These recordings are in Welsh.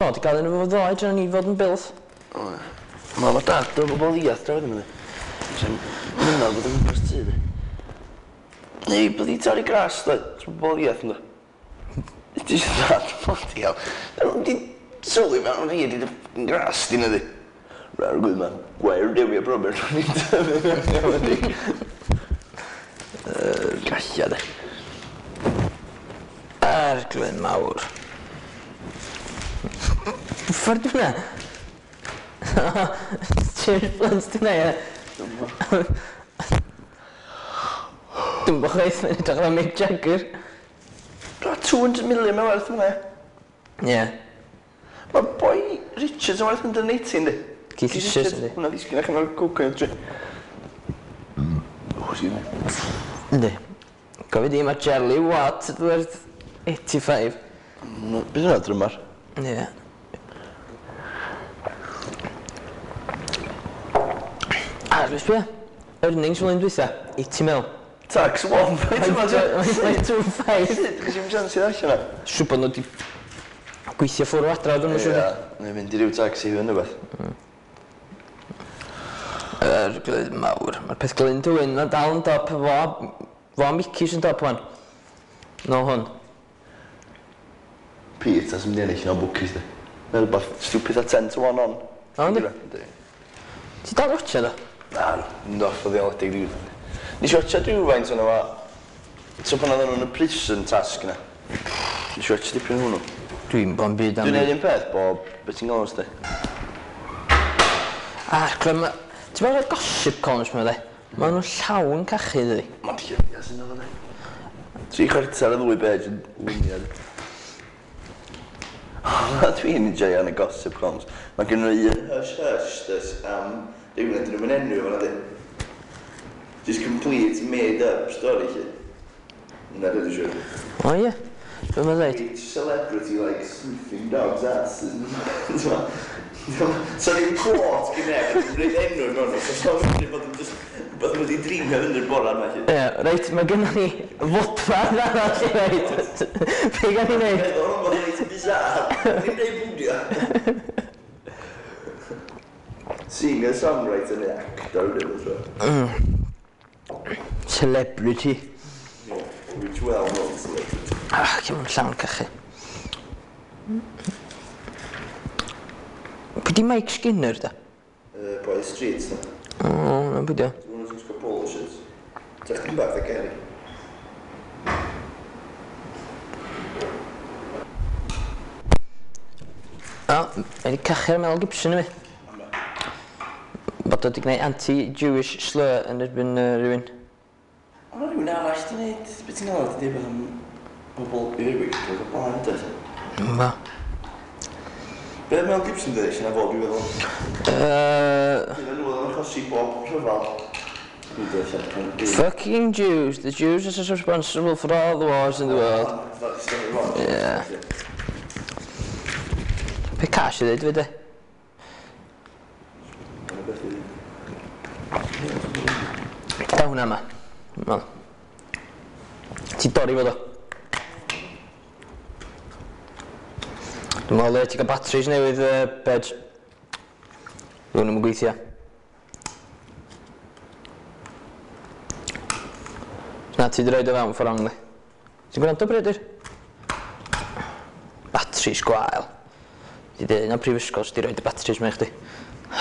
O, di gael un efo fo ddoe, dyna ni fod yn bilth. O, ie. Mam a dad, dwi'n bobl ddiath draw wedyn, Sy'n mynadd bod yn gwmpas tŷ, di. Neu, byddi torri gras, dwi. Sy'n bobl ddiath, ynddo. Ti eisiau dad, bloody hell. Dyn nhw'n di sylwi mewn fi, di dy fucking gras, di na di. Rhaid gwyd man, gwair dewi a Robert, o'n i'n tyfu mewn i di. Galla, de. Arglwydd mawr. Ffordd di hwnna? James Blunt di hwnna, ie. Dwi'n bo chwaith, mae'n edrych fel Mick Jagger. 200 million mae'n werth hwnna. Ie. Mae boi Richards yn werth 180, yndi? Keith Richards, yndi. Hwnna ddisgyn allan o'r cocaine tree. O, excuse me. Yndi. Gofyd i, mae Jelly Watt werth 85. Beth yna drymar? Ie. A, dwi'n sbio. Earnings flwyddyn dwytha, 80 mil. Tax 1. 1.25. Sut ges i'n chance i ddarllen o? Siŵr bod nhw wedi gweithio ffwrdd o adra, dwi'n siŵr. Ie, neu fynd i ryw taxi hwn neu beth. Yr glyd mawr. Mae'r peth Glyn Dwyn na dal yn dop fo a Mickey sy'n dop wan. Nôl hwn. Pete, as mynd i ennill no bookies di. Mae'n rhywbeth stupid a 10 to 1 on. O, yndi? Ti dal watcha do? Na, mynd off o ddioledig rhyw. Nes i watcha rhywfaint o'n efo... So pan oedden nhw'n y prison task yna. Nes i watcha dipyn o hwnnw. Dwi'n bo'n byd am... Dwi'n neud un peth bob... Be ti'n galw sti? Ah, clem... Ti'n meddwl y gossip columns ma, de? Maen nhw'n llawn cachu, dydi? Mae'n lluniau sy'n o'n de. 3/4 y ddwy bej yn luniau. Dwi'n enjoy yn y gossip columns. Mae gen nhw un hush hush dys am rhywun ydyn nhw'n enw fan'na di. Just complete made up story lle. Na, dwi'n siŵr. O ie. Be mae'n dweud? Each celebrity likes sniffing dogs' asses. So ddim quote gen neb, yn rhaid enw mewn nhw. So so'n mynd bod yn just... Bod nhw wedi dreamio fyny'r bora yma. Ie, reit, mae gennym ni fodfan arall i roid. Be gan ni wneud? Meddwl o'n bod yn reit bizarre. Ni'n rhaid bwdio. Singer, songwriter neu actor, dwi'n meddwl. Celebrity. Yeah, which well known celebrity. Ah, cym yn llawn cachu. Pwy di Mike Skinner, da? Boy Street, da. O, na pwy di o. Dwi'n nhw'n gwisgo polo shirts. Ti'n chdi bach da Kerry. O, mae wedi cachu ar Mel Gibson i mi. Bod o wedi gwneud anti-Jewish slur yn erbyn rhywun. Ond mae rhywun arall di wneud, beth ti'n gael, di dweud am bobl Irwig o'r blaen, dweud? Ma. Be Mel Gibson dweud, sy'n fod, dwi'n meddwl? Dwi'n meddwl oedd o'n achosi bob rhyfel. Fucking Jews. The Jews are responsible for all the wars in the world. Yeah. Pe cash i ddweud, fyd e? Da hwnna yma. Wel. Ti dorri fod o. Dwi'n meddwl le ti gael batteries newydd, Bej. Dwi'n nhw'n gweithio. Na, ti di roed o fewn ffordd wrong, di. Ti'n gwrando, Brydyr? Batteries gwael. Ti di un o'r prifysgol sydd wedi roed y batteries mewn i chdi.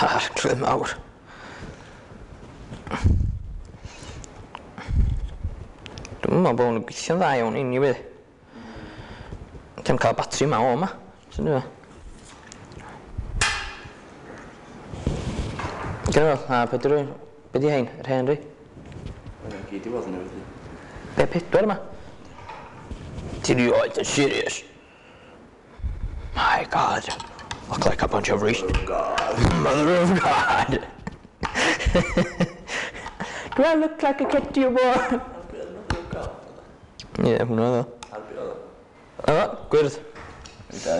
Arglwydd mawr. Dwi'n meddwl bod hwn yn gweithio'n dda iawn anyway. Ti'n cael batri yma o yma. Sy'n dweud? Gyda fel, a be di rwy'n... Be di hein? Yr hen ri? Mae'n gyd i fod yn newydd. Be pedwar yma? Ti'n rioed yn serious? My God. Look like a bunch of Mother of God. Mother of God. Do I look like a cat to you, boy? Ie, hwnna oedd o. O, gwyrdd. Na,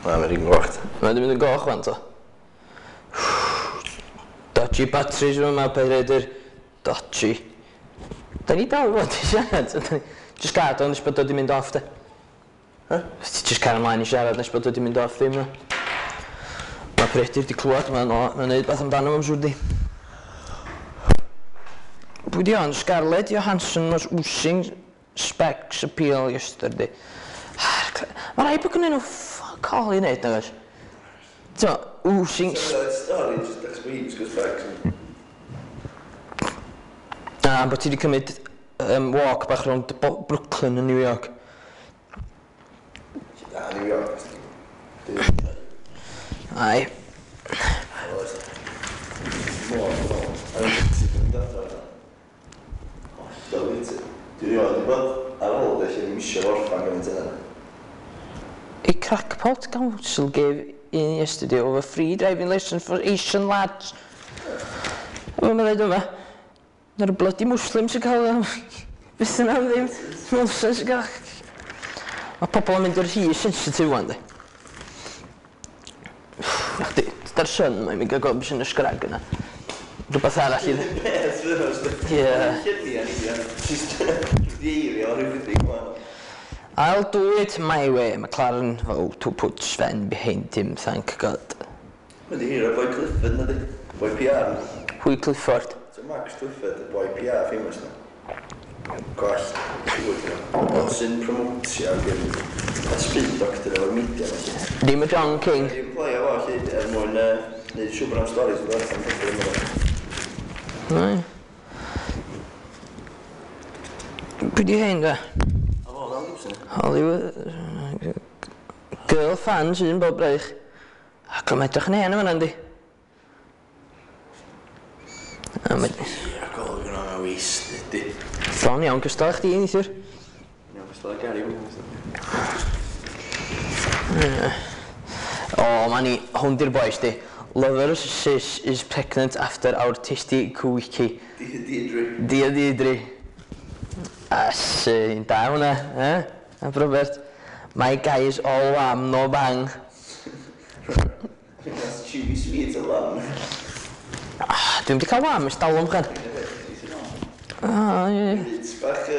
mae'n rhywun goch. Mae'n mynd yn goch fan, to. Dodgy batteries yma, Peredur. Dodgy. Da ni dal i fod i siarad. Just gad o'n bod o di mynd off, de. Ti just cael ymlaen i siarad nes bod wedi mynd off ddim. Mae Peredur wedi clywed, mae'n neud beth amdano fo'n siŵr di. Pwy di on? Scarlett Johansson was oozing specs appeal yesterday. Mae rhaid bod gennyn nhw fuck all i wneud, nag oes? Ti'n oozing... Stori, just achos bod hi'n gwisgo specs. Na, bod ti wedi cymryd walk bach rownd Brooklyn yn New York. Na, New York. Ai. Dwi'n rioed wedi bod ar ôl lle ddim eisiau orffan gymaint yna. A crackpot council gave in yesterday over free driving lesson for Asian lads. Mae'n dweud yma. Na'r bloody Muslims sy'n cael... Beth yna am ddim. Nonsense sy'n cael... Mae pobl yn mynd i'r rhy sensitif wan, di. Chdi, dyda'r sun mae'n mynd gael gweld beth sy'n y sgrag yna. Rhywbeth arall i... Ie. I'll do it my way, McLaren vow to put Sven behind him, thank God. Mae'n di hir o boi Clifford na di. Boi PR. Pwy Clifford? So Max Clifford, y boi PR famous na. Gwall. Sy'n promotio ag yn spin doctor efo'r media. Dim y John King. Dwi'n play o fo lle er mwyn neud siŵr bod am stories yn dod allan pobl yma. Nei. Pwy di hein da? A fo, Mel Gibson. Hollywood... Girl fans un bob braich. Ac o'n edrych yn hen yma yndi. Ie, golwg yn o'n wasted di. Bron iawn gystal chdi neithiwr. Iawn gystal â Gary Williams. O, ma ni, hwn di'r boys di. Lover's sis is pregnant after our tasty quickie. Deirdre. Deirdre. As, da hwnna, eh? A Robert. My guy is all wham, no bang. That's chewy sweet a lamb. Ah, dwi'm di cael wham ers talwm chan. Ah, ie. It's bach...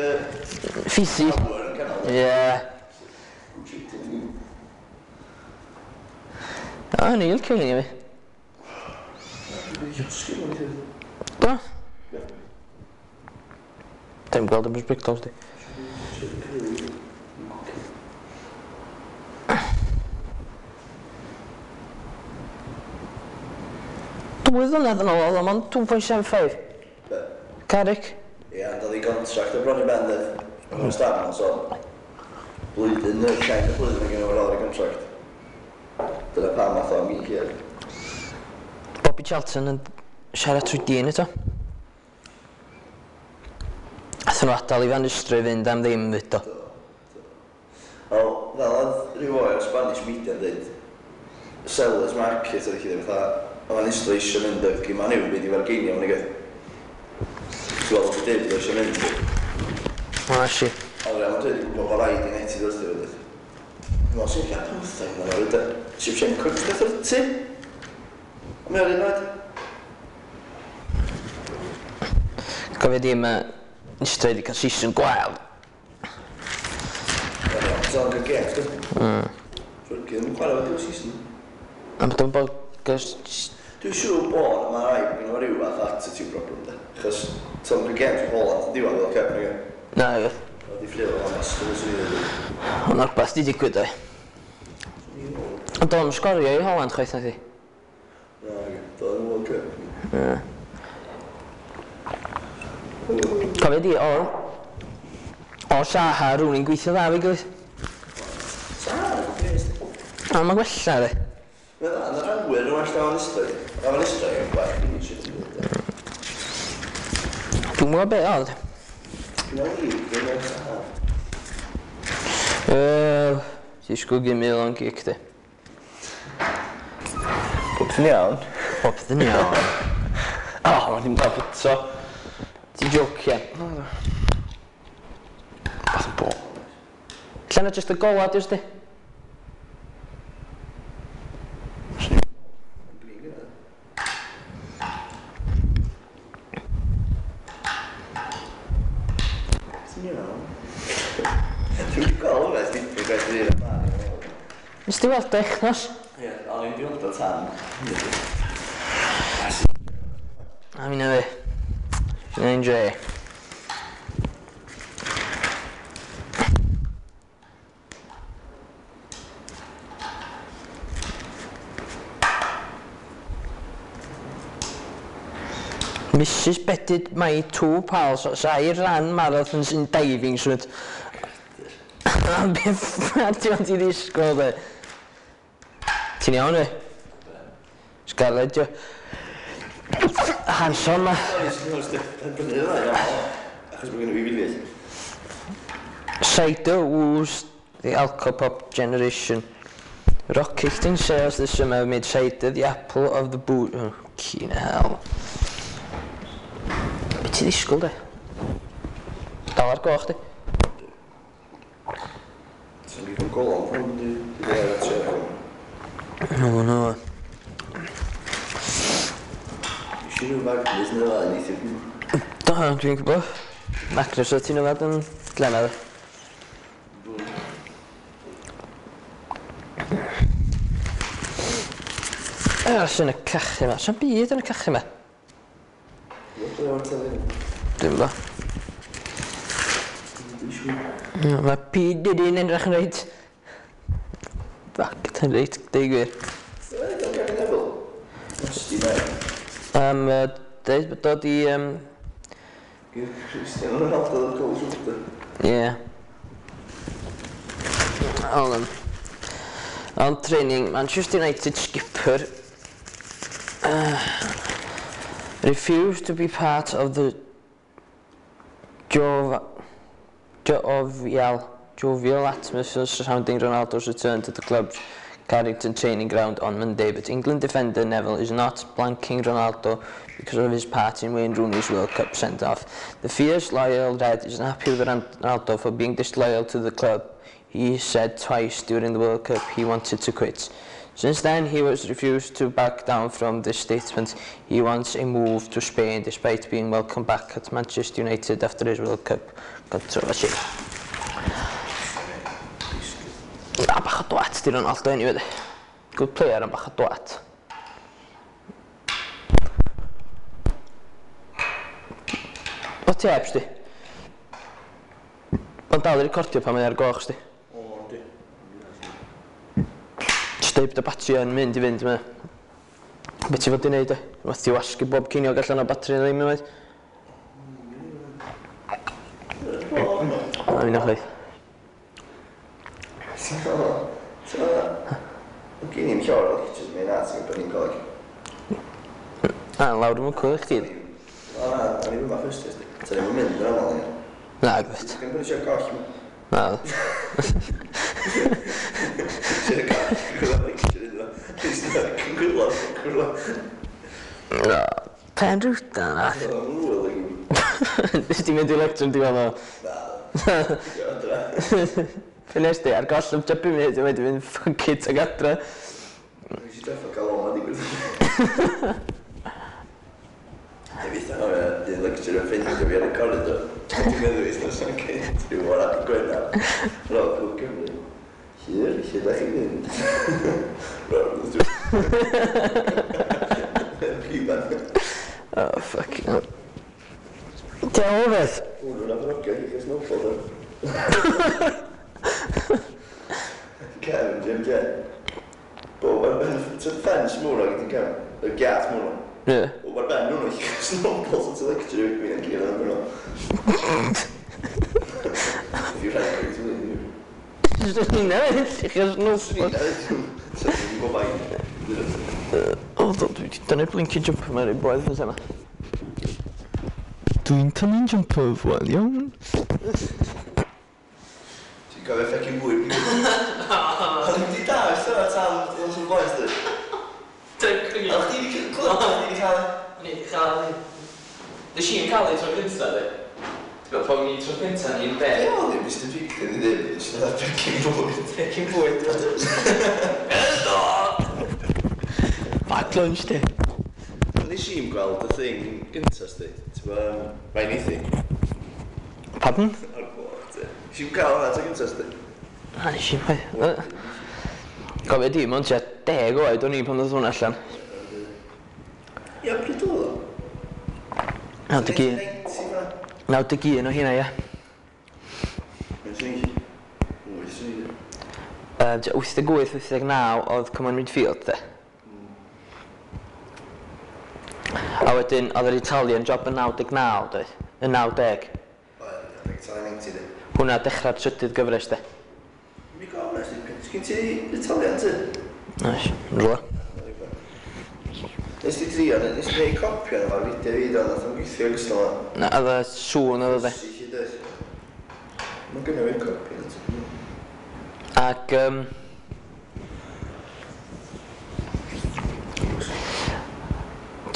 Fizzy. Ie. O, ni licio hynny fi. Do? Dim gweld yn sbectols di. Dwy flynedd yn ôl, oedd o'n 2.75. Be? Carrick. Ie, ond oedd ei contract o bron i ben, dedd. Mae'n start mewn sôn. Blwyddyn, neu llai na blwyddyn yn gynnal ar ei contract. Dyna pam nath o am gyn hir. Bobby Charlton yn siarad trwy dyn eto. Athyn nhw adael i Van Nistelrooy fynd am ddim fyd o. Wel, fel oedd rhyw oer Spanish media yn dweud, seller's market oedd chi fatha, o Van Nistelrooy eisiau mynd oedd gym Man U byd i fargeinio mae'n gyd. Ti'n gweld oedd David eisiau mynd. O, si. Ond Real Madrid yn gwybod bod rhaid i United wrth i fod. Dwi'n meddwl, sy'n lle 15 yn oed. Shevchenko gyda 30. A mae o'r un oed. Cofio di, mae Nistelrooy wedi cael season gwael. Ti'n cael games, dwi'n? Fergie ddim yn chwarae fo diwedd season. A bod o'n bod... Dwi'n siŵr bod mae rhaid bod gen rhyw fath attitude problem, de. Achos ti'n cael games o Holland yn diwedd fel Cup, nag e? Na, ie. Oedd i ffrio o'n ysgol sy'n ei ddweud. Ond rhywbeth di digwydd, oe. Ond do'n sgorio i Holland chwaith na thi. Na, do'n World Cup. Ie. Cofio di, o Saha, rhywun i'n gweithio dda fi gilydd. Saha, gwrs. A mae'n gwella, de. Mae'n dda, yn yr awyr yn well na Van Nistelrooy. Mae Van Nistelrooy yn gwell finisher. Dwi'n gwybod be oedd. Dwi'n meddwl, dwi'n meddwl Saha. Ti'n sgwg i mil o'n gic, di. Popeth yn iawn. Popeth yn iawn. O, mae'n ddim dal eto. Ti'n jocian? Na, Beth yn bo. Lle na jyst y gola, diwrs di? Ti'n iawn. Dwi'n gweld hwnna, ers dipyn gwaith i ddyn. Nes di weld o echnos? Ie, o'n i'n di weld o tan. A mi na fi. Fi'n dre. Mrs Betted my two pals as I ran marathons in diving suit. Be ffwc ti ond i ddisgwyl de? Ti'n iawn e? Scarlett, jo. Hanson ma. Achos mae gen i fi filiau. Cider woos the alcopop generation. Rocketing sales this summer made cider the apple of the boot. Oh, keen hell. Be ti ddisgwyl de? Dal ar goch di. Sa'n gwybod golon pan di ar y tre. No, no. Nes i rhyw Magnus neu ddau neithiwr. Do, dwi'n gwybod. Magnus o ti'n yfad yn glenad. Os yn y cachu yma. Sa'n byd yn y cachu yma? Dwi'n gwybod. Mae P. Diddy'n edrych yn reit... Fuck, yn reit, deud gwir. Am deud bod dod i... Cristiano Ronaldo o'r goal shoulder. Ie. Hold on. On training, Manchester United skipper refused to be part of the jovial atmosphere surrounding Ronaldo's return to the club's Carrington training ground on Monday, but England defender Neville is not blanking Ronaldo because of his part in Wayne Rooney's World Cup send-off. The fierce, loyal Red isn't happy with Ronaldo for being disloyal to the club. He said twice during the World Cup he wanted to quit. Since then, he has refused to back down from this statement. He wants a move to Spain despite being welcomed back at Manchester United after his World Cup controversy. Na, bach o dwat di Ronaldo anyway. Good player, ond bach o dwat. O ti heb, sti? Mae'n dal i recordio pan mae ar goch, sti. O, di. Jyst deud bod y batri yn mynd i fynd, mae. Be ti fod i wneud, e? Wath ti wasgu bob ceiniog allan o batri neu ddim, unwaith. Na, fi'n chwaith. So, gen i'n llawer o lectures mi na, ti'n gwybod ni'n coleg. Na, lawr yn cwyd chdi. O na, o'n i'n mynd first year, ti'n ni'n mynd yn aml i. Na, gwyd. Ti'n gwybod eisiau goll? Na. Eisiau goll, gwybod lecture iddo. Ti'n gwybod, gwybod. Na, pen rwta na. Nes ti mynd i lecture yn diwedd o? Na. Fe nes di, ar goll am tua 5 munud, wedi mynd fuck it ag adre. Nes i drafod cael o'n digwydd. Neu fydd o'n un lecture yn ffeindio fi ar y corridor. Dwi'n meddwl wythnos yn cynt, rhyw o'r adeg Gwener. Roedd Clwb Cymru. Hir, lle da chi'n mynd? Roedd. Rhywbeth. Oh, fucking hell. Diolch o beth? Hwnnw'n afrogio i chi snowball, do. Kevin, Jim Jen. Bob ar ben, ti'n ffens mwr ag ti'n Kevin, y giat mwr. Ie. Bob ar ben nhw'n eich snowballs at y lecture i fi'n gyd yn nhw. If you rhaid i ti. Swn i'n newid, eich snowballs. Swn i'n newid, swn i'n gwybod. O, dwi wedi dynnu blinking jumper mewn i'r boedd fysa yma. Dwi'n tynnu'n jumper fwy, iawn. Ti'n cofio ffecin bwyd? O'n i'n di dal, ystod ar tan nos o'r blaen, sti? O'ch ti wedi clywed, o'ch ti wedi cael? O'n i wedi cael. Nes i'n cael ei tro cynta, di. Ti'n gwybod, pan o'n i tro cynta, ni'n be? Ie, o'n i'n Mr Picton i ddim, nes i'n dod pecyn bwyd. Pecyn bwyd. Back lunch, di. Nes i'n gweld y thing gynta, sti. Ti'n gwybod, Ryan Easy. Pardon? Ar gloch, ti. Nes i'n cael hwnna tro gynta, sti. Na, nes i'n chwaith. Cofio di, mond tua 10 oed o'n i pan ddoth hwnna allan. Ia, pryd oedd o? 91. 91 o hynna, ia. 88, 89 oedd Come On Midfield, de. A wedyn, oedd yr Italian Job yn 99, doedd? Yn 90. Oedd, Italian 90, de. Hwnna dechrau'r trydydd gyfres, de. Mi gofyn nes, sgyn ti Italian, ti? Oes, yn rhywle. Nes ti drio, nes ti gwneud copi o'n efo'r fideo fi, do, nath o'n gweithio gystal o. Na, oedd y sŵn oedd o, de. Mae'n gynnu fi'n copi, ti. Ac,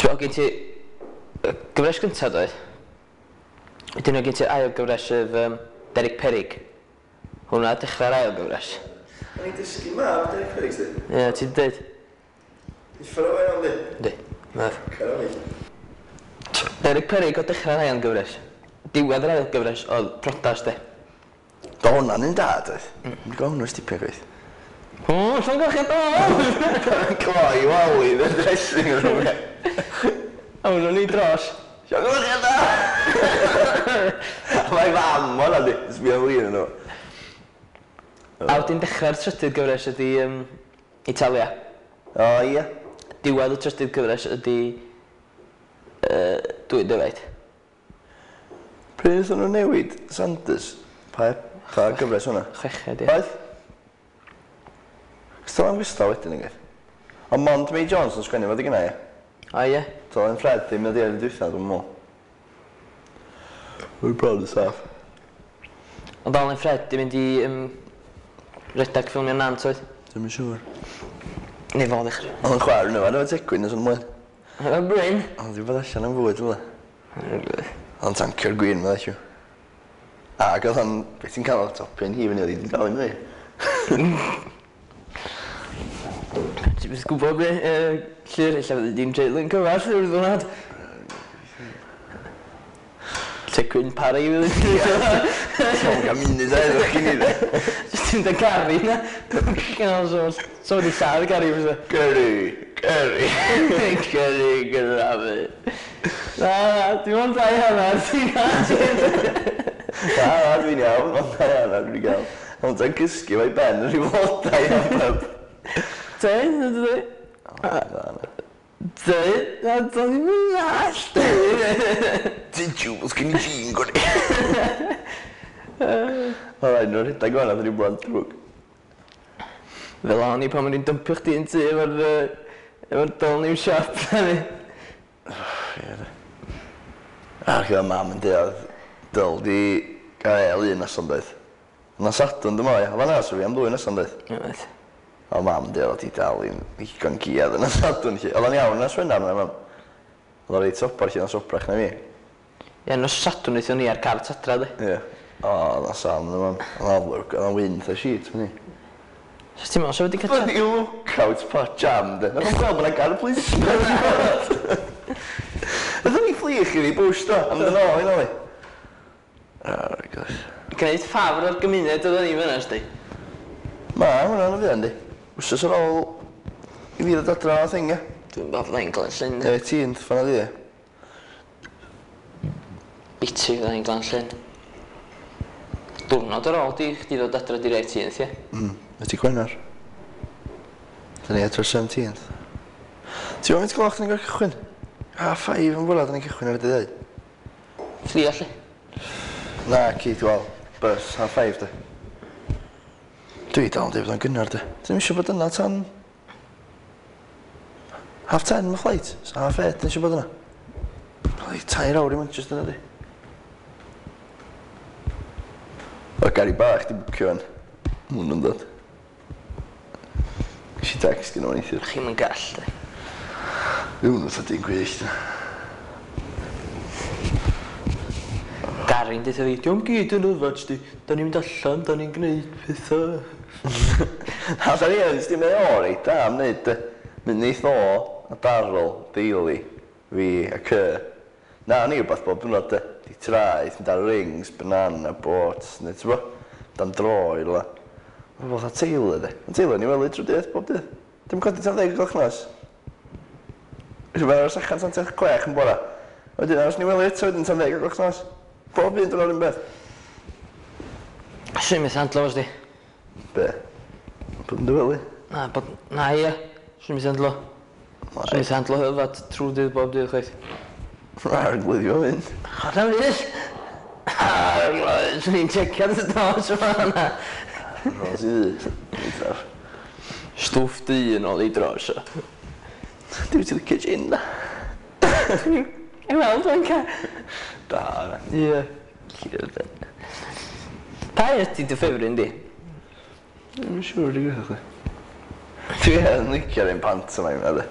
Ti'n gen ti gyfres gyntaf, doedd? Wedyn oedd gen ti'r ail gyfres sef Derek Perig. Hwna dechrau'r ail gyfres. O'n i'n dysgu mab Derek Perig, sti? Ie, ti'n dweud? Uffar o fewn, di? Yndi, mab. Cer o fi. Derek Perig o dechrau'r ail gyfres. Diwedd yr ail gyfres oedd priodas, de. Do hwnna'n un da, doedd? Dwi'n gwybod hwnnw'n stipio gwaith. O, llongyfarchiadau do! Cloi wali, the dressing room. A hwnnw'n ni dros. Llongyfarchiadau! Mae fam o'na di, sbio flin yn nhw. A wedyn dechrau'r trydydd gyfres ydi Italia. O, ie. Diwedd y trydydd cyfres ydi Dwy Defaid. Pryd wnaethon nhw newid Sanders? Pa, pa gyfres hwnna? Chweched, ie. Oedd? Cos am gystal wedyn yn gwaith. Ond Mond May Jones yn sgwennu fod i gynna, ie. O, ie. Dylan Fred ddim wedi ar y dwytha, dwi'n meddwl. We're proud of staff. Ond Alan Fred di mynd i redag ffilmio Nant, oedd? Dwi'm yn siŵr. Neu fo ddechrau. Oedd yn chwarae nhw, efo Tegwyn nes o'n mlaen. Y Bryn? Oedd wedi bod allan am fwyd, fel. Oedd o'n tancio'r gwin, meddwl siw. Ac oedd o'n, beth ti'n cael o'r topyn hi fyny, oedd hi wedi dal i fyny. Ti'n byth gwybod be, Llyr, ella fyddi di'n treulio'n cyfarth yw'r ddwrnod. Tegwyn Parry fydd yn Ti'n cael munud a edrych gyn i dde. Jyst ti'n da Gary na. Genau, so wedi lladd Gary fysa. Gary, Gary. Gary gyda fi. Na, na, dim ond 2.5, ti'n gael. Na, na, dwi'n iawn, ond 2.5 dwi'n gael. Ond ta'n cysgu fo'i ben yn rhyw flodau am pub. Te, na dwi? Te, na do'n i'n mynd all, te. Did you, os gen i jean gwni. Mae rhaid nhw'n rhedeg o'n rhyw blant drwg. Fel o'n i pan o'n i'n dympio chdi yn tŷ efo'r Dolniw shop. Ie. Ac oedd mam yn dweud, dyl di gael un noson doedd. Yna Sadwrn dwi'n meddwl, oedd yna so fi am ddwy noson doedd. Oedd. Oedd mam yn dweud, oedd hi dal i'n ddigon giad yna Sadwrn lle. Oedd o'n iawn yna Swenar yna mam. Oedd o'n reit sobar lle, o'n sobrach na fi. Ie, nos Sadwrn wnaethon ni ar car tadra, di. Ie. O, oedd o'n sam yna mam. Oedd o'n lwc, oedd o'n wynt a shit, fyny. So ti'n meddwl, so wedi cael Bloody lookout pot jam, de. Nath o'n gweld bod yna gar y policeman. Nath o'n i fflich i fi bwys, do. Am dyn ôl, i nôl i. Oh, gosh. Gwneud ffafr o'r gymuned oedden ni fyna, sdi. Ma, hwnna'n y fuan, di. Wsos ar ôl i fi ddod adra o thing, ie. Dwi'n meddwl fydda i'n Glan Llyn. 18th, fan'na di, ie. Biti fydda i'n Glan Llyn. Diwrnod ar ôl di, chdi ddod adra di'r 18th, ie? Ydy Gwener. Da ni adro'r 17th. Ti'n gwybod faint gloch da ni'n gorfod cychwyn? 5 yn fwra, da ni'n cychwyn ar y dydd. Fflia, lle? Na, cyd, wel, bus, 5:30, de. Dwi dal yn dweud bod o'n gynnar, de. Dwi'n eisiau bod yna tan 10:30 mae flight, so 8:30 dwi'n eisiau bod yna. Bloody 3 awr i Manchester yna, di. O, Gary bach di bwcio fan. Mwyn yn dod. Ges i text gyda fo'n neithiwr. Chi'm yn gall, de. Dwi'n fatha dyn gwyllt. Gary'n deutha fi, diolch gyd yn yfad, sti. Da ni'n mynd allan, da ni'n gwneud pethau. Na, da ni yn, sti mae o reit da am wneud, de. Mynd neith o, a Daryl, Daly, fi a Cy. Na, ni rhywbeth bob diwrnod, de. Di traeth, mynd ar rings, banana boats, neu ti'n bo? Dan dro i rywle. Mae fatha Taylor, de. Mae Taylor yn ei wely trwy dydd, bob dydd. Dim codi tan 10 o'r gloch nos. Felly mae'n aros allan tan 6:30 yn bora. Wedyn aros yn ei wely eto wedyn tan 10 o'r gloch nos. Bob un diwrnod un beth. Swn i'n methu handlo fo, sdi. Be? Bod yn dy wely? Na, bod... Na, ia. Swn i'n methu handlo. Swn i'n methu handlo hyfad trwy dydd bob dydd chwaith. Arglwydd i fynd. Chwarae fydd! Arglwydd, swn i'n checio dy dos yma yna. Ros i ddu. Stwff du yn ôl i dros o. Dwi ti licio gin na? I weld o'n ca. Da, na. Ie. Pa un ydi dy ffefryn di? Dwi'n siŵr dwi'n gwybod chdi. Dwi yn licio'r un pantomime na, de.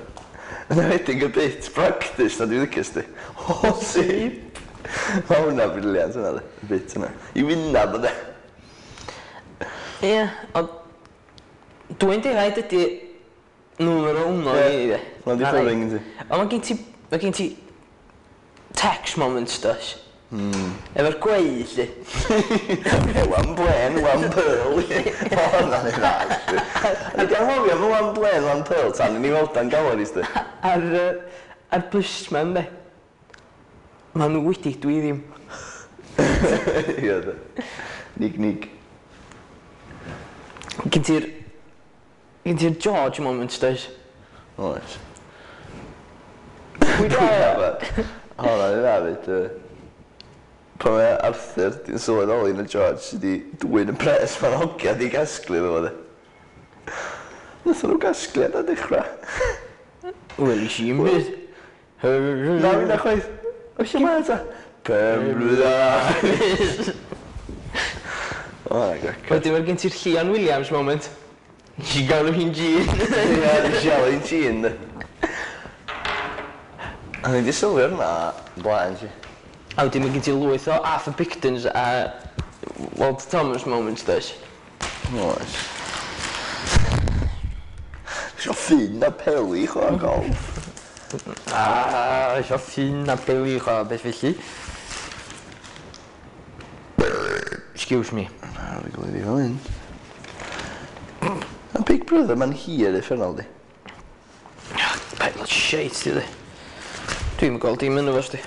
Yn enwedig y bit practice na dwi'n licio sti. O, sip! Mae hwnna brilliant hwnna, de. Y bit yna. I wynab, de. Ie, ond... Dwi'n defaid ydi numero uno i fi, de. Hwnna di ffefryn gen ti. Ond mae gen ti... Mae gen ti... Tex moments, does? Efo'r gweu, lly. One blen, one pearl. O, hwnna'n ei dda, actually. Ni di anghofio am y one blen, one pearl tan i ni weld o'n gallery, sti. Ar, ar busman, de. Maen nhw wedi, dwi ddim. Ie, de. Nig, nig. Gen ti'r... Gen ti'r George moments, does? Oes. Pwy da? Hwnna'n ei dda, fyd. Pan mae Arthur di'n sylweddoli na George sydd wedi dwyn y pres ma'n hogia di gasglu iddo fo, de. Nathon nhw gasglu ar dechrau. Wel, i i'm byd. Na, fi na chwaith. O, lle mae ta? Pen blwydd O, na, grac. Wedyn mae gen ti'r Llion Williams moment. Nes i galw hi'n Jean. Ie, nes i alw hi'n Jean, de. A ni di sylwi ar hwnna blaen, ti. A wedyn mae gen ti lwyth o Arthur Pictons a Walter Thomas moments, does? Oes. Isio ffyn a peli chwarae golf. A, isio ffyn a peli chwarae beth felly. Excuse me. Na, fi gweld i fel hyn. A Big Brother, mae'n hir uffernol, di. Pile of shite, di di. Dwi'm yn gweld dim yno fo, sti.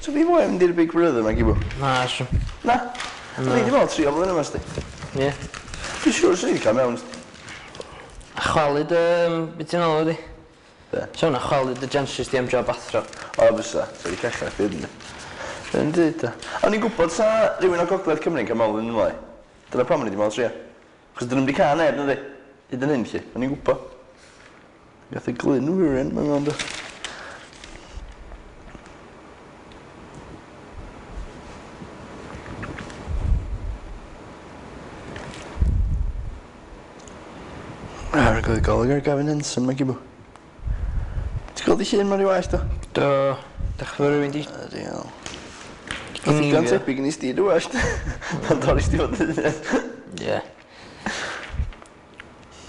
So fi fwy mynd i'r Big Brother, mae gibw? Na, sw. Na. Na. Ni di meddwl 3 blynedd yma, sti. Ie. Dwi'n siŵr sy'n ni wedi cael mewn, sti. A chwalu dy... Beth ti'n alw di? Be? So hwnna chwalu dy chances di am job athro. O, fysa. So wedi cachau chdi, ynddi. Yn dweud, da. O'n i'n gwybod sa rhywun o Gogledd Cymru'n cael mewn yn ymlaen. Dyna pam o'n i wedi meddwl trio. Chos dyn nhw'n wedi cael neb, nadi? Hyd yn hyn, lle. O'n i'n gwybod. Gath y Glyn Wyrin, mae'n mewn, do. Ar y golwg ar Gavin Henson, mae'n gibw. Ti'n gweld i llun ma'n rhyw well, do? Do. Dech fawr rhywun di... Ydy, iawn. Oedd digon tebyg yn i sti dy well. Pan dorri sti fod yn Ie.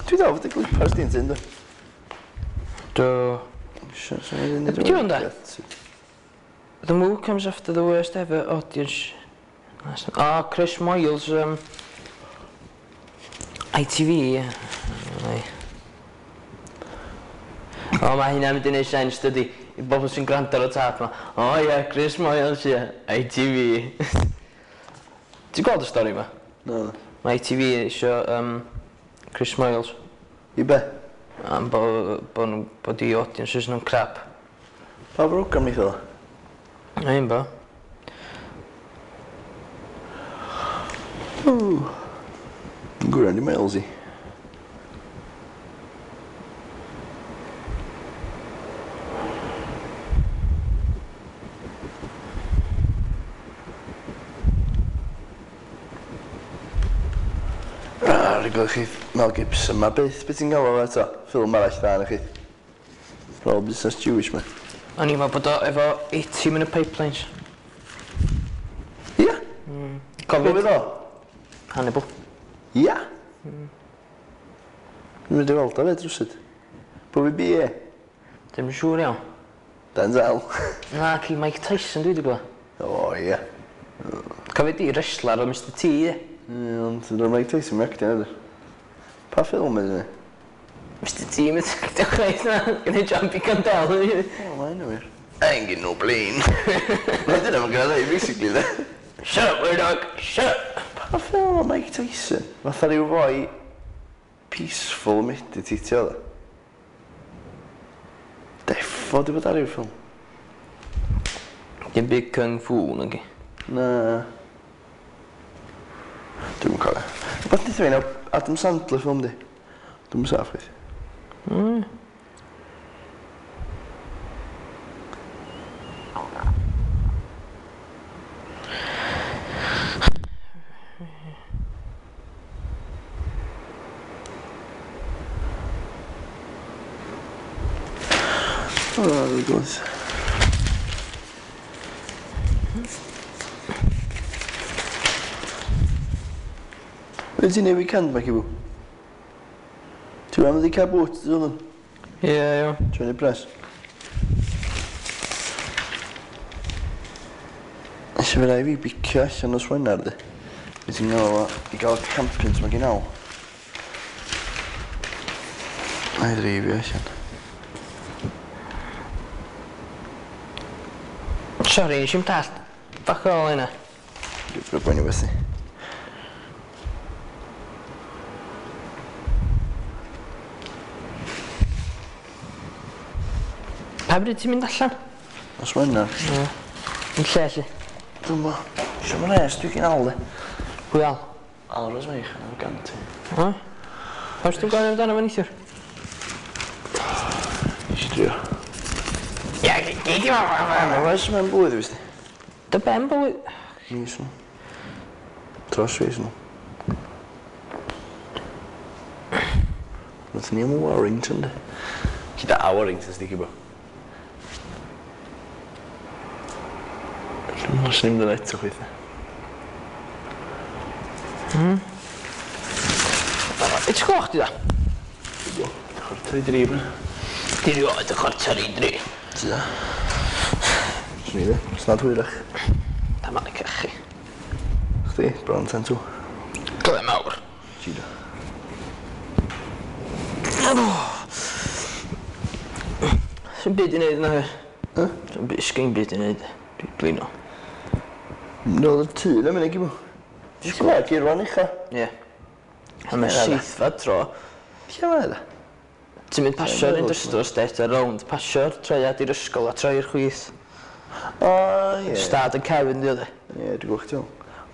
Dwi dal fod y clipars di'n tyn, do. Do. Be' 'di hwn, de? The move comes after the worst ever audience. Oh, Chris Moyles, ITV, ie. Ai. O, mae hynna'n mynd i neud sens, dydi? I bobl sy'n gwrando ar y tap ma. O ie, Chris Moyles, ie, ITV. Ti'n gweld y stori ma? No. Mae ITV isio Chris Moyles. I be? Am bo nhw, bod i audiences nhw'n crap. Pa program ni o? Na un bo. Yn gwrando i Miles i. Ah, rhaid gweld chi Mel Gibson ma byth, beth ti'n gael o eto? Ffilm arall dda na chi. Roll busnes Jewish ma. O'n i'n meddwl bod o efo 80 in y pipelines. Ia? Cofio Pwy fydd o? Hannibal. Ia? Dwi'n mynd i weld o fyd rywsut. Pwy fi BA? Ddim yn siŵr iawn. Denzel. Na, ci Mike Tyson dwi wedi gweld. O, ia. Cofio di wrestler o Mr T, ie? Ie, ond dyna'r Mike Tyson mae'n actio ydy. Pa ffilm ydy ni? Mr T, mae'n actio chwaith na. Gwneud John B. Condell. O, mae hynny wir. I ain't getting no plane. Na dyna mae'n gael ei, basically, de. Shut up, weird dog. Shut up. Pa ffilm o Mike Tyson? Fatha rhyw foi peaceful meditatio, de. Defo di bod ar ryw ffilm. Dim byd Kung Fu, nag i. Na. Dwi'm yn cofio. Rwbath neith fi nawr, Adam Sandler ffilm di. Dwi'm yn saff chwaith. O, dwi'n gwybod. Be ti'n neud weekend, Mackie Boo? Ti'n mynd i cael bwt, ti'n mynd? Ie, iawn. Ti'n mynd i pres? Nes i fe rai fi bicio allan nos Wener, di. Be ti'n gael o i gael campins mae gen al. Na i dreifio allan. Sori, nes i'm dallt. Fuck all hynna. Dwi'n ffrwd boeni beth i. Pa bryd ti'n mynd allan? Nos Wener. Ie. Yn lle, lle? Dwi'n bo. Isio ma'n res, dwi'n gen al, di. Pwy al? Al Rosmeich, yn gant i. O? Oes ti'n gofyn amdano fo neithiwr? Nes i drio. Ia, gei di Mae res mewn bwyd, i fi. Dy ben bwyd? Mis nhw. Dros fis nhw. Nath ni am Warrington, di. Gyda a Warrington, sdi bo. Dwi'n meddwl sy'n mynd yn eto chweith. It's gloch di da? 2:45 bro. Di rioed y 2:45. Ti da? Swn i dde. Snad hwyrach. Da ma'n cachu. Chdi, bron 1:50. Gle mawr. Ti da. Swn byd i neud na fi. Swn byd, sgyn byd i neud. Dwi'n blino. Nôl y tŷ na mynd i gymw. Ti'n gweld geirwan ucha? Ie. A mae seithfed tro. Lle mae da? Ti'n mynd pasio'r industrial estate a rownd, pasio'r troiad i'r ysgol a troi i'r chwith. O, ie. Stad yn cefn di oedd e. Ie, dwi'n gwybod chdi.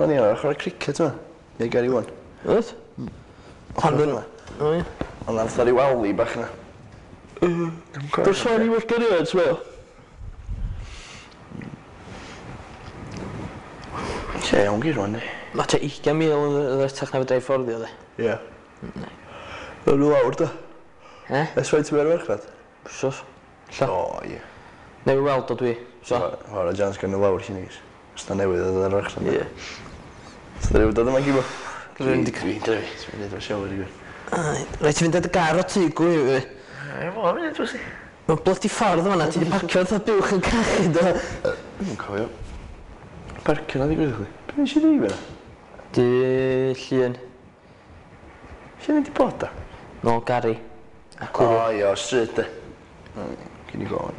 O'n i ar chwarae cricket yma. Neu Gary One. Oedd? Pan fyna. O ie. Ond nath ar ryw alley bach yna. Dwi'n sôn i wrth gyrraedd, ti'n Lle iawn geirwan, di. Mae tua 20,000 yn ddrytach na fedra i fforddio, de. Ie. Dwi'n nhw lawr, da. E? Ers faint ti'n mynd ar farchnad? Wsos. Lla. O, ie. Newydd weld o dwi. So. O'r jans gan nhw lawr lle nigis. Os na newydd oedd ar farchnad. Ie. So dwi wedi dod yma gymw. Dwi'n di- Dwi'n drefi. Dwi'n mynd o'r shower i gwir. Rhaid ti fynd at y gar o tŷ gwy. Ie, fo, mynd drws i. Mae'n bloody ffordd yma na, ti wedi parcio fatha buwch yn cachu, do. Dwi'n cofio. Parcio na ddigwydd i chdi. Be nes i ddweud fyna? Dy llun. Lle ni di bod da? Nôl Gary. A O, cwrw. ie, o, stryd de. Cyn i gofyn.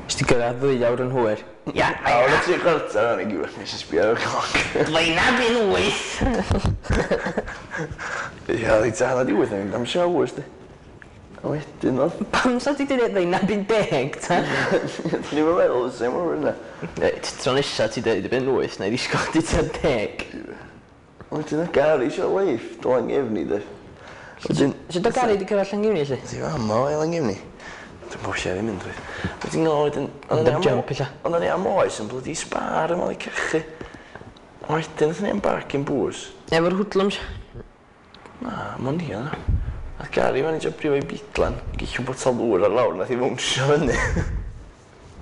Nes ti gyrraedd 2 awr yn hwyr. Ia, A o'n i 3:15 o'n i gywir, nes i sbio ar y cloc. Blaena fi'n 8. Ie, oedd hi tua 8:30 yn mynd am showers, di. A wedyn oedd... Pam sa ti di dweud 9:50, ta? Dwi'n i'n meddwl, same o'r yna. Reit, tro nesa ti dweud y ben 8, na i ddisgwyl chdi tua 10. Wedyn oedd Gary eisiau lift o Langefni, de. Wedyn... Sut o Gary di cyrraedd Llangefni, lle? Ti fam o Langefni? Dwi'n bod lle i mynd, dwi. Wedyn o, wedyn... Ond am jump, ella. Ond o'n i am oes yn bloody spar yma i cachu. Wedyn, nathon ni am barcyn bws. Efo'r hoodlums. Na, mond i yna. Nath Gary fan i jympio o'i bidlan, gillw botel ddŵr ar lawr, nath i fwnsio fyny.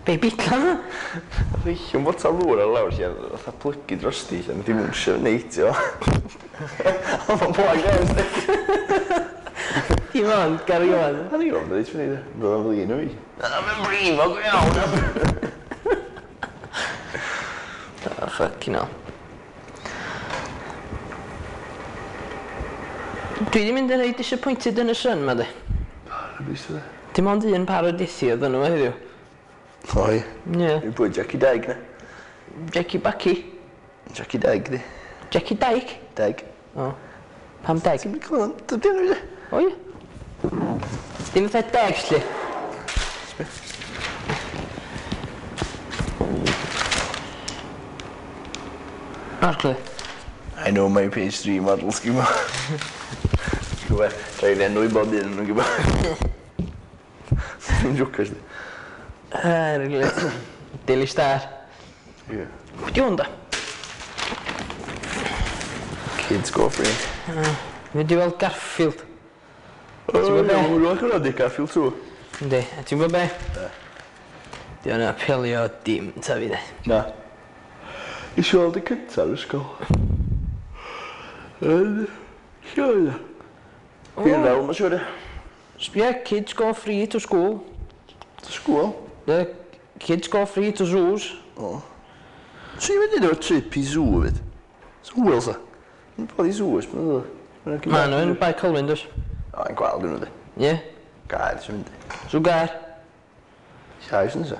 Be, bidla na? Nath o illwng botel ddŵr ar lawr lle, fatha plygu drosti lle, nath i mwnsio neidio. Oedd o'n blag iawn, sti. Dim ond, carry on. A ni'n gwybod beth i'n Roedd o'n flin o fi. Na, mae'n brifo go iawn. Oh, fucking hell. Dwi 'di mynd yn reit disappointed yn y Sun 'ma de. Dim ond un par o dithi oedd yno fo heddiw. Oi. Ie. Dwi'n pwy Jackie Deg na. Jackie Backy. Jackie Deg di. Jackie Dyke? Deg. O. Pam Deg? Ti'n mynd clywed am dy enw i? O ie. Dim fatha Deg lly. Arglwydd. I know my page 3 models, gwybod. Gwybod, rhaid enw i bob un nhw'n gwybod. Dwi'n jocio sti. Arglwydd. Daily Star. Ie. Pwy di hwn da? Kids go free. Mynd i weld Garfield. O, Ti'n gwbod be? ie, hwnnw ac di Garfield 2. Yndi, a ti'n gwybod be? Di o'n apelio dim ta fi de. Na. Nes i weld y cyntaf yn ysgol. Yn... Lle oedd o? Fi'n fel, mae'n siŵr. Sbia, kids go free to school. To school? The kids go free to zoos. O. Swn i'n mynd i efo trip i zoo hefyd. So hwyl sa. Yn bod i zoo, ys ma'n Ma nhw yn Bae Colwyn, does? O, yn gweld nhw, di. Ie. Gair, sy'n mynd. Zoo Gaer. Llai sy'n nesa.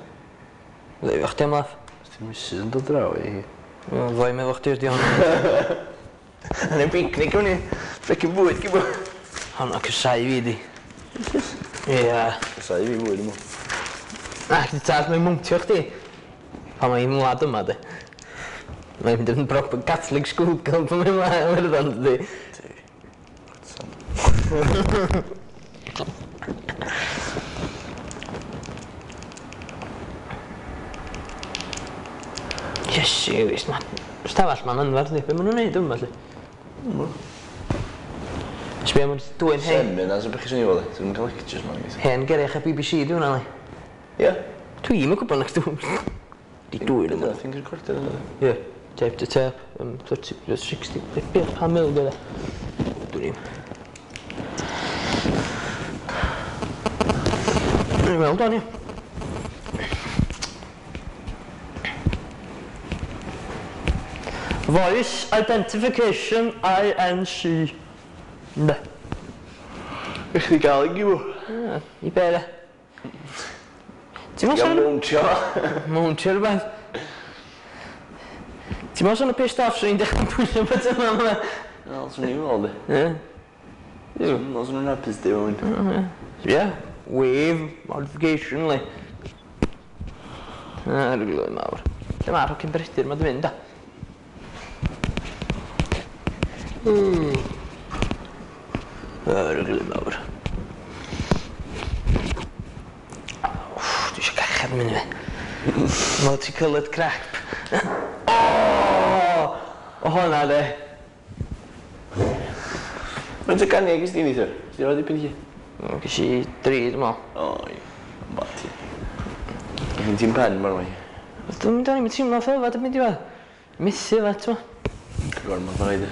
Ddeud chdi am laff. Os ti'n missus yn dod draw i hi. Wel, ddoi meddwl chdi ydi hwn. Yn ein picnic o'n i. Ffecin bwyd, gybo. Hon o cysau fi di. Ie. Cysau fi fwyd, ymw. Na, chdi tad, mae'n mwntio chdi. Pan mae'n mlad yma, di. Mae'n mynd yn proper Catholic school girl pan mae'n mlad Iwerddon, di. Ti. Iesu, wis, ma... Stafell ma'n anferth, di. Be maen nhw'n neud yma, lly? Sbia, ma'n dwyn hen... Seminars o beth chi'n swnio fel, Dwi'n cael lectures ma'n gweithio. Hen gerech a BBC, di hwnna, li. Ie. Dwi'm yn gwybod nac dwi'n... Di dwyn yma. Dwi'n recordio yna. Ie. Tape to tape, 30, 60, be, pa mil gyda? Dwi'n i'm. Dwi'n weld o'n i. Voice Identification INC. Ne. I chdi gael ei gyw. I be de? Ti'n meddwl Iawn sôn... mowntio. Mowntio rhywbeth. Ti'n meddwl sôn y pissed off swn i'n dechrau pwyso beth yma yma? Wel, swn i'n meddwl di. Ie. Swn i'n meddwl hapus di o'n. Ie. Wave modification, li. Arglwydd mawr. Lle mae'r hocyn Brydyr ma di mynd, da? Arglwydd mawr. Wff, dwi eisiau cachad yn mynd i fi. Multicoloured crap. O! O hwnna de. Mae'n ty canu ag ysdi neithiwr? Ysdi roi dipyn i chi? Ges i dri, dwi'n meddwl. O, ie. Ba ti. Dwi'n ti'n pen, ma'n rhoi. Dwi'n mynd i'n teimlo ffyfa, dwi'n mynd i fod. Methu fe, ti'n Gormod o rhaid.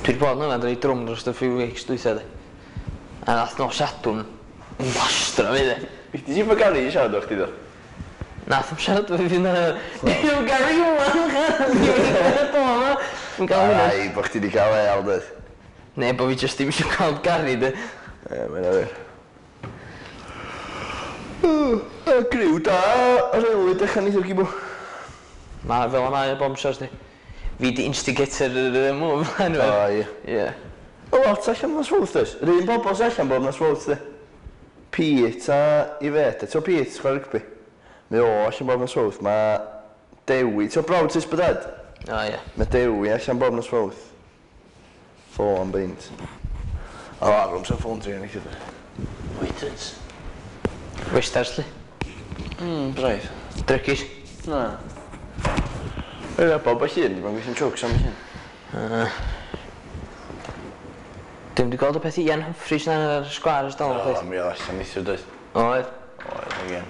Dwi wedi bod yn yfed reit drwm dros y few weeks dwytha, de. A nath nos Sadwrn yn blastra fi, de. Fi ti fo Gary i siarad o chdi, do? Nath am siarad efo fi na. Dwi'n Gary Iwan, Dwi'n gael hwnna. Ai, bo chdi di cael e, dweud. Ne, bo fi jyst ddim eisiau cael Gary, de. Ie, mae'n awyr. Y griw da, ar aelwyd dechrau neithio'r gibw. Ma, fel yma, y bombshells, di. Fi di instigator yr move, O, ie. Ie. O, lot allan nos fawrth, does? Yr un bobl sy'n allan bob nos fawrth, di. Pete a Yvette, ti'n Pete, chwarae rygbi? Mae o allan bob nos fawrth, mae Dewi, ti'n brawd Tis Bydad? O, ie. Mae Dewi allan bob nos fawrth. Ffo am beint. O, ar sy'n ffôn tri yn eich Waiters. Westars, li. Braidd. Drygis. Na. Ie, bob o llun, di bo'n gweithio'n jokes am y llun. Dwi'm di gweld y peth Ian Humphries na ar y sgwâr ers dal, O, chwaith. mi oedd allan neithiwr, doedd. Oedd. Oedd, again.